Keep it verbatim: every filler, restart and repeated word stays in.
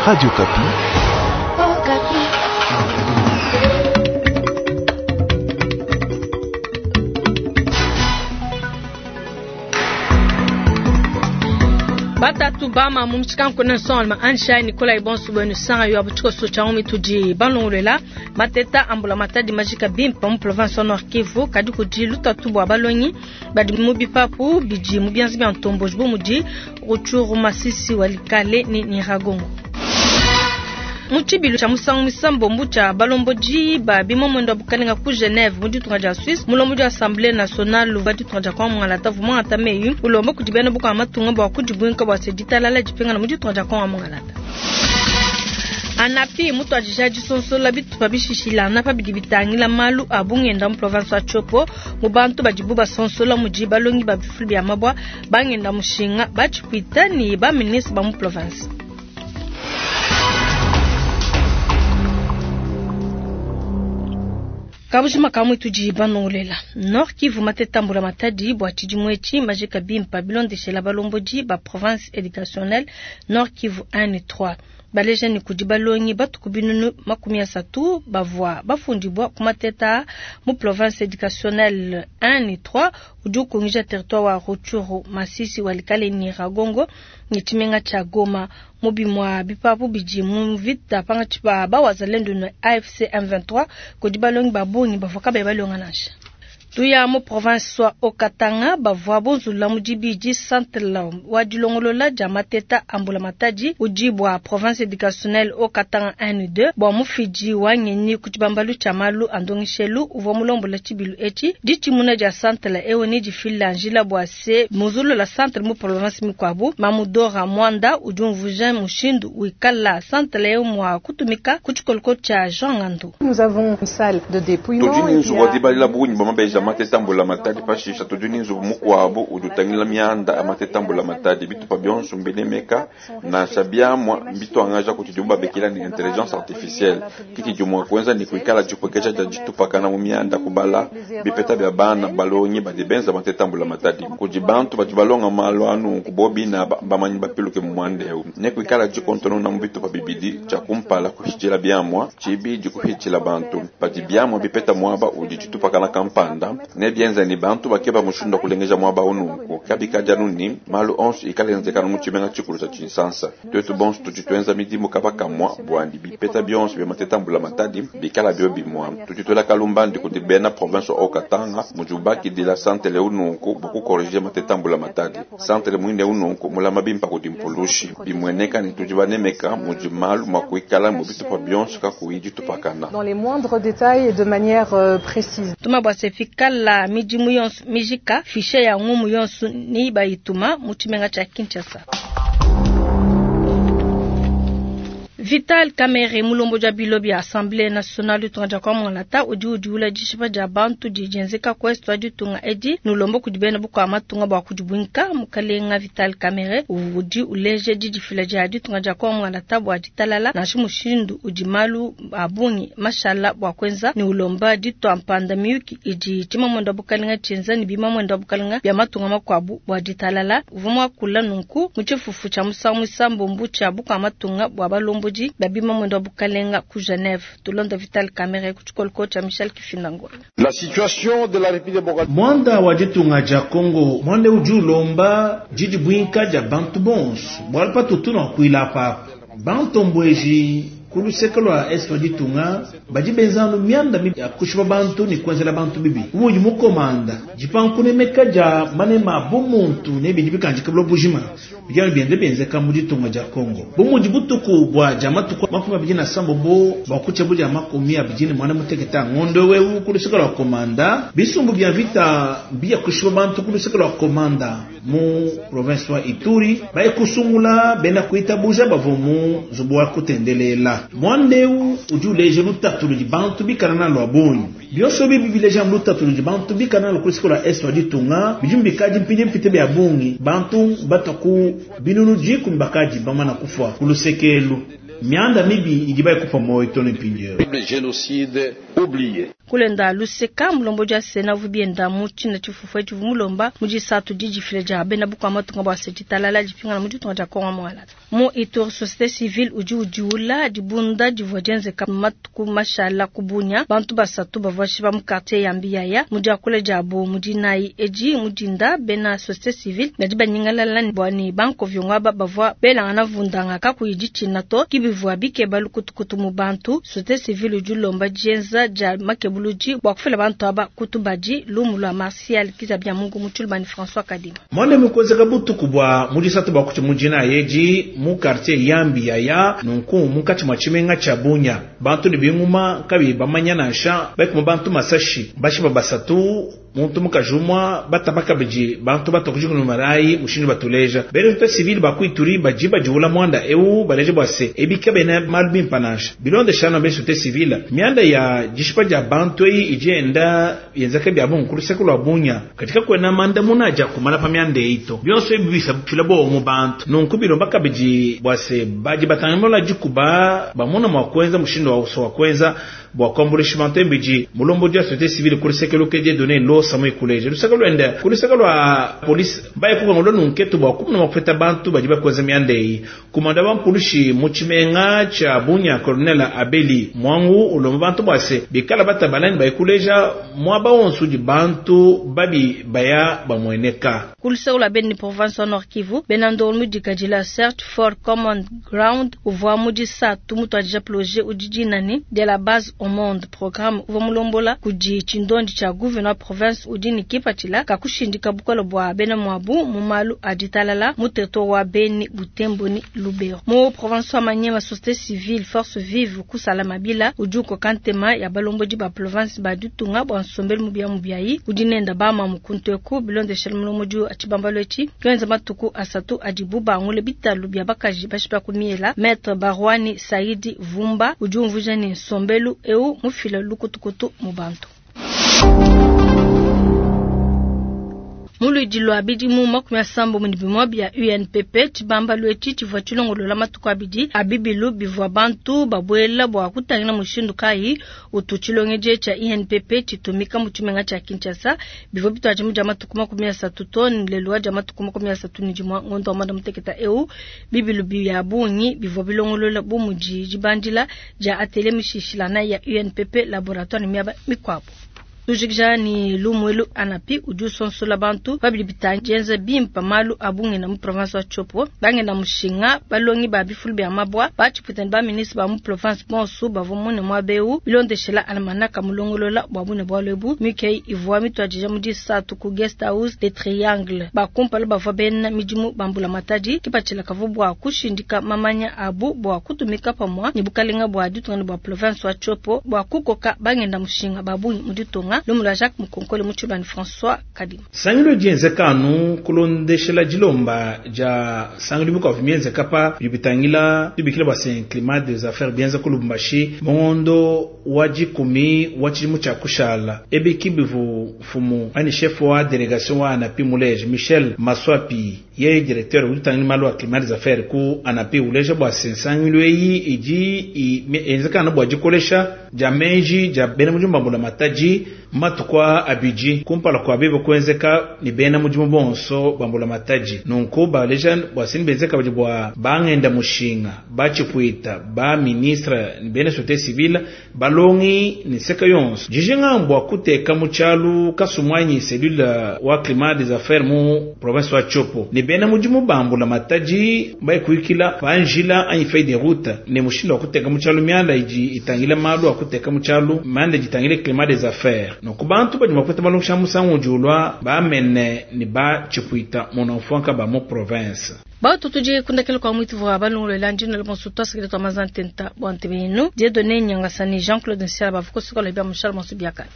Radio Okapi. Batatu bama mu mushikanku solma ansha Nikolai bonso bwenu sanga yo abuchiko cha umi tudi balongolela mateta ambula matadi majika bimpa mu province Nord Kivu kadi kudi lutatu bwa balongi badi mu bipapu bidi mu bianzi bya ntombo bo mudi Rutshuru Masisi walikale ni Nyiragongo. Muchibilu cha musangu misambo mbucha balomboji ba bimo mwendo bukalenga ku Genève mu ditunga dia Suisse mulombo dia Assemblée nationale ba ditunga dia Kongo Mongala vuma atameyu ulombo kudibena buka matunga bwa kudibwinka bwa seditalala dipinga na mu ditunga dia Kongo Mongala. Anapi mutu ajija disonsola bitupa bishishila na pa bidi bitangila malu abungenda mu province wa Tshopo mu bantu badibu basonsola mudi balongi ba bifulu bya mabwa bangenda mushinga bachipwita ni ba ministre ba mu province. Kabushima kamwe tudi banongolela Nord Kivu matetambula matadi bwa tshidimwechi majika bimpa bilondeshela balomboji ba province éducationnelle Nord Kivu un et trois baleja ni kudi balongi batuku binunu makumi asatu bavua bafundibwa ku mateta mu province éducationnelle un et trois udi ukungija territoire wa Rutshuru Masisi walikale Nyiragongo ni tshimenga tsha Goma mu bimua bipapu bidi mu vita panga tshipa ba wazalendo na A F C M vingt-trois kudi balongi babungi bavua kabayi balonga nansha. Tuya mu province wa Haut-Katanga bavua bonzula mu dibidi centre wa dilongolola dia mateta ambula matadi udi bwa province éducationnelle Haut-Katanga un et deux bwa mufidi wa ngenyi ku tshibambalu tshia malu a ndongeshelu uvua mulombola tshibilu etshi ditshimuna dia centre ewu ni difila njila bwa se muzulula centre mu province mikuabu Mamudora Mwanda udi umvuja mushindu wikala centre ewu mua kutumika ku tshikoloko tshia Jean Ngandu. Nous avons une salle de dépouillement. Tudi ni nzubu wa dibalila bungi bwa mabeja matetambula matadi pashisha tudi ni nzubu mukuabu udi utangila mianda ya matetambula matadi bitupa bionso mbinemeka nansha biamua mbituangaja kuti diumba bekila ni intelligence artificielle kiti diumua kuenza ni kuikala dipwekesha dia ditupakana mu mianda kubala bipeta bia bana balongi badi benza matetambula matadi kudi bantu badi balonga malu anu kubobina bamanyi bapiluke mu mwanda eu ne kuikala dikontonona mu bitupa bibidi tshia kumpala kuhitshila biamua tshibidi kuhitshila bantu badi biamua bipeta muaba udi ditupakana kampanda ne bienza ni bantu bakeba mushindu wa kulengeja muaba ununku kabikadi anu ni malu onso ikala enzekana mu tshimenga tshikulu tshia Tshinsansa twetu bonso tudi tuenza midimu kaba kamua bwandi bipeta bionso bia matetambula matadi bikala bio bimua tudi tuela kalumbandi kudi bena province wa Haut-Katanga mudi ubakidila santere ununku bua kukorije matetambula matadi santere muine ununku mulama bimpa kudi mpulushi bimueneka ni tudi banemeka mudi malu mua kuikala mu bitupa bionso kakuyi ditupakana. Dans les moindres détails et de manière euh, précise. Tuma bwa sefikala midimu yonso mijika fishe ya ngumu yonso ni bayituma mu tshimenga tshia Kinshasa. Vital Kamerhe mulombo dia bilo bia Assemblée nationale ditunga dia Kongo Mongala udi udiula dishipa dia bantu dijenzeka ku est wa ditunga edi nulombo kudi bena bukua matunga bua kudibwinka mukalenga Vital Kamerhe udi uleje didifila dia ditunga dia Kongo Mongala bua ditalala nansha mushindu udi malu abungi mashala bua kuenza ni ulomba ditua mpanda miyuki idi tshimamwendo wa bukalenga tshienza ni bimamwendo wa bukalenga bia matunga makuabu bua ditalala uvua muakula nunku mu tshifufu tshia musangu muisambombo tshia bukua matunga bua balombo babima mwendo wa bukalenga ku Genève tulonda Vital Kamerhe ku tshikoloko tshia Michel Kifindango. La situation de la République démocratique Mwanda wa ditunga dia Kongo mwanda udi ulomba didibwinka dia bantu bonso bwala patutu na kuila papa bantombweji ku luseke lwa est wa ditunga badi benzanu mianda mibi ya kushipa bantu ni kuenzela bantu bibi umudi mukomanda dipankunemeka dia manema bumuntu ne bidi bikanjika bulo bujima bidiano biende bienzeka mu ditunga dia Kongo bumudi butuku bwa dia matuku makumi abidi na sambo bwa kutshia bu dia makumi abidi ne mwana muteketa ngondo wewu ku luseke lwa komanda bisumbu bia vita bia kushipa bantu ku luseke lwa komanda mu province wa Ituri baye kusungula bena kuitabuja bavua mu nzubu wa kutendelela mwandeu udi uleja lutatu ludi bantu bikala na lwa bungi bionso bibi bileja lutatu ludi bantu bikala na ku luseke lwa est wa ditunga bidi mbikadi mpidi mpite bia bungi bantu bataku binunu dikumi bakadi bamana kufua ku lusekelu mianda mibi idi bayikufa moyo to ne mpindieu. Génocide oublié. Kulenda luseka mulombo dia sena vubienda mu china chifufu chivu mulomba mujisatu dijifile dia bena bukwa matunga bwa sejitalala dipingana mu ditunga dia Kongo mwala. Mu Ituri société civile udi udiula dibunda divua dienzeka matuku mashala kubunya bantu basatu bavua shiba mu quartier ya Mbiyaya mu diakula diabu mu dinayi edi mudinda bena société civile badi banyingalala bua ne banko vyongwa bavua belangana vundanga kakuyi ditshina to kibivua bikeba lukutukutu mu bantu. Société civile udi ulomba dienza dia makebuluji bua kufila bantu aba kutubadi lumu lwa Martial Kizabia Mungu mutshulubani François Kadima. Mwande mukwezeka butuku bwa mudisatu bwa kuti mujina yeji mu quartier ya Mbiyaya nunku munkatshi mwa tshimenga tsha Bunya bantu ne binguma kabi bamanya nansha baikuma bantu masashi bashiba basatu muntu mukajumwa batabaka biji bantu batokujikunu marai mushindu batuleja bene tuta civil bakuituri bajiba jiula mwanda eu baleje bwase ebika bene malu bimpa nansha bilonde shana bene société civile mianda ya jishipa ja bantu eyi ijenda yenzaka bya bungu kuluseko lwa Bunya katika kwena manda munaja kumala pa mianda eito byonso ebibisa fila bo mu bantu nunku bilomba kabiji bwase baji batangamola jikuba bamona mwa kwenza mushindu wa uso wa kwenza bwa kwambulisha bantu embiji mulombo dia société civile kulisekelo ke donné lo samu ikuleje lusaka lwenda kulisaka lwa polisi baye kuka ngolo nunketu bwa kumuna mapeta bantu baji bakwenza mianda eyi kumanda wa mpulishi muchimenga cha Bunya Colonel Abeli Mwangu ulomba bantu bwase bikala batabalani bayikuleja mwaba onsu di bantu babi baya bamweneka. Kulisaka lwa Beni province wa Nord Kivu benando mudikajila search for common ground uvwa mudisa tumutu adija projet udijinani de la base au monde programme uvwa mulombola kudi chindondi cha gouverneur province udini kipatila kakushindika bukolo bwa bena mwabu mumalu aditalala mu territoire wa Beni Butembo ni Lubero. Mu province wa Maniema société civile force vive kusala mabila ujuko kantema ya balomboji ba province ba dutunga bwa nsombelu mubia mubiayi udinenda ba mamukunteku bilonde shalmulomoji achibambalo echi kwenza matuku asatu adibu bangule bitalu bya bakaji bashipa kumiela maître Barwani Saidi Vumba ujumvuja ni nsombelu eu mufila lukutukutu mu bantu. Muludi lwa bidimu makumi asambo mu bimwa bya U N P P chibamba lwechi chivua chilongolola matuku abidi abibilu bivua bantu babwela bwa kutangila mushindu kai utu chilongeje cha I N P P chitumika mu tshimenga cha Kinshasa bivua bitwaje mu dia matuku makumi asatu to lelwa dia matuku makumi asatu ni dimwa ngondo wa mwanda muteketa eu bibilu bya bungi bivua bilongolola bu mudi dibandila dia atelier mishishilana ya U N P P laboratoire miaba mikwabo. Tujikja ni lumwelu anapi uju sonsola bantu babili bitanjenza bimpa malu abunge na mu province wa Tshopo bange na mushinga balongi ba bifulu bya mabwa bachiputani ba ministre ba mu province bonsu bavumune mwa beu bilondeshela almanaka mulongolola bwa bune bwa lebu mikei ivua mitwajija mu disatu ku guest house de triangle bakumpala bavua bena midimu bambula matadi kipatshila kavu bwa kushindika mamanya abu bwa kutumika pamwa ni bukalenga bwa ditunga bwa province wa Tshopo bwa kukoka bangenda mushinga babungi mu ditunga lumula Jacques Mukonkole Mutshibani François Kadima. Sangilo dienzekanu kulondeshela dilomba ja sangilo biko vimienze kapa bibitangila bibikila bwa sen climat des affaires bienza kulumbashi mondo wa jikumi wa chilimu cha kushala ebiki bivu fumu ani chef wa délégation wa ANAPI Muleje Michel Maswapi ye directeur utangila malu climat des affaires ku ANAPI uleje bwa sen sangilo yi iji enzekanu bwa jikolesha ja menji ja bena mujumba mbula mataji matukwa abiji kumpala kwa bebo kwenzeka ni bena mujimu bonso bambula mataji nunku baleja bwasini benzeka baji bwa bangenda mushinga bachipwita ba ministre ni bena société civile balongi ni seka yonso jijinga mbwa kuteka muchalu kasumwanyi cellule wa climat des affaires mu province wa Tshopo ni bena mujimu bambula mataji baikuikila panjila anyi feuille de route ni mushinda wa kuteka muchalu mianda iji itangila malu akuteka muchalu manda jitangile climat des affaires nunku bantu badi makweta balongisha musangu julwa bamene ni ba chipwita monofwanka ba mu province. Bautu tuje kundakela kwa mwitu wa balongo landino le bonso tosa kile twa mazantenta bwantebenu Dieudonné Nyangasani Jean-Claude Nsiala bavuko sokola bya mushal monsu biaka.